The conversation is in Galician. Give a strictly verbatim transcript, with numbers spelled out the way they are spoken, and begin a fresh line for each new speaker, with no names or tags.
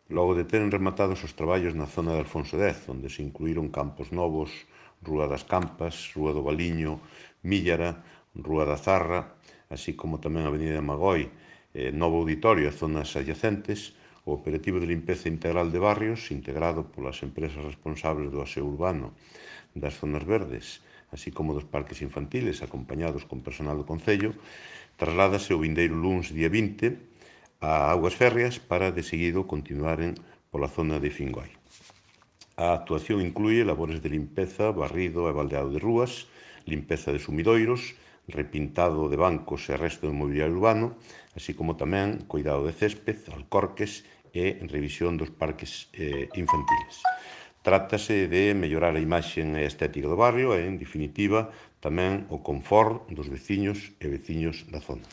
Logo de teren rematados os traballos na zona de Alfonso X, onde se incluíron Campos Novos, Rúa das Campas, Rúa do Valiño, Míllara, Rúa da Zarra, así como tamén a Avenida de Magoi, eh, Novo Auditorio e zonas adyacentes, o operativo de limpeza integral de barrios, integrado polas empresas responsables do aseo urbano das zonas verdes, así como dos parques infantiles, acompañados con personal do Concello, trasládase o vindeiro luns día vinte a Augas Férreas para, de seguido, continuaren pola zona de Fingoi. A actuación inclúe labores de limpeza, barrido e baldeado de rúas, limpeza de sumidoiros, repintado de bancos e resto de mobiliario urbano, así como tamén cuidado de césped, alcorques e revisión dos parques eh, infantiles. Trátase de mellorar a imaxe e a estética do barrio e, en definitiva, tamén o confort dos veciños e veciños da zona.